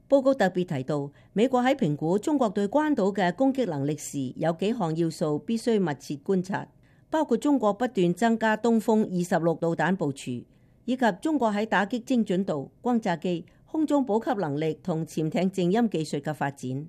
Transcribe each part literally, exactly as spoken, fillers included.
報告特別提到，美國喺評估中國對關島嘅攻擊能力時，有幾項要素必須密切觀察，包括中國不斷增加東風二十六導彈部署，以及中國喺打擊精準度、轟炸機、空中補給能力同潛艇靜音技術嘅發展。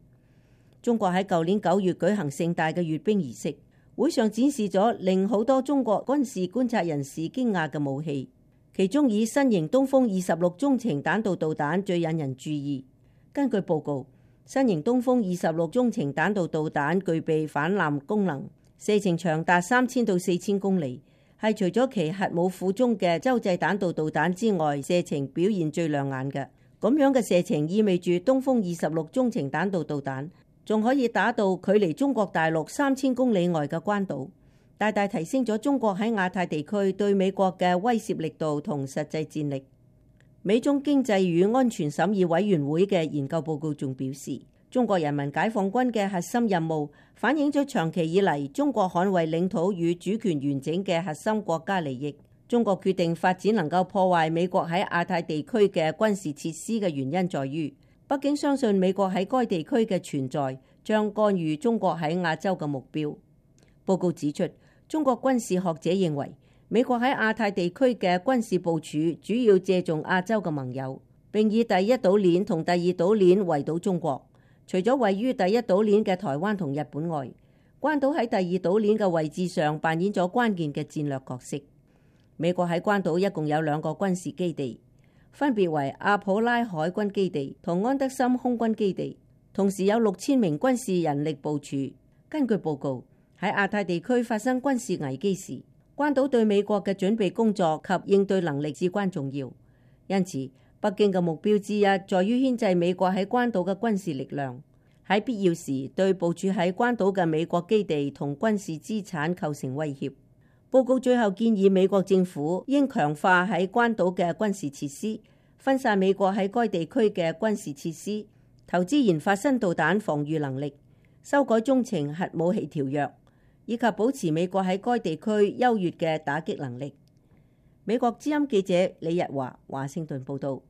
中國喺舊年九月舉行盛大嘅閱兵儀式，會上展示咗令好多中國軍事觀察人士驚訝嘅武器，其中以新型東風二十六中程彈道導彈最引人注意。根據報告，新型東風二十六中程彈道導彈具備反艦功能，射程長達三千到四千公里，係除咗其核武庫中嘅洲際彈道導彈之外，射程表現最亮眼嘅。咁樣嘅射程意味住東風二十六中程彈道導彈仲可以打到距離中國大陸三千公里外嘅關島，大大提升咗中國喺亞太地區對美國嘅威懾力度同實際戰力。美中經濟與安全審議委員會嘅研究報告仲表示，中國人民解放軍嘅核心任務反映咗長期以嚟中國捍衛領土與主權完整嘅核心國家利益。中國決定發展能夠破壞美國喺亞太地區嘅軍事設施嘅原因在於，北京相信美國喺該地區嘅存在將干預中國喺亞洲嘅目標。報告指出，中國軍事學者認為，美國喺亞太地區嘅軍事部署主要借重亞洲嘅盟友，並以第一島鏈同第二島鏈圍堵中國。除咗位於第一島鏈嘅台灣同日本外，關島喺第二島鏈嘅位置上扮演咗關鍵嘅戰略角色。美國喺關島一共有兩個軍事基地，分別為阿普拉海軍基地同安德森空軍基地，同時有六千名軍事人力部署。根據報告，喺亞太地區發生軍事危機時，關島對美國嘅準備工作及應對能力至關重要，因此北京嘅目標之一在於牽制美國喺關島嘅軍事力量，喺必要時對部署喺關島嘅美國基地同軍事資產構成威脅。報告最後建議美國政府應強化喺關島嘅軍事設施，分散美國喺該地區嘅軍事設施，投資研發新導彈防禦能力，修改中程核武器條約，以及保持美國喺該地區優越嘅打擊能力。美國之音記者李日華華盛頓報道。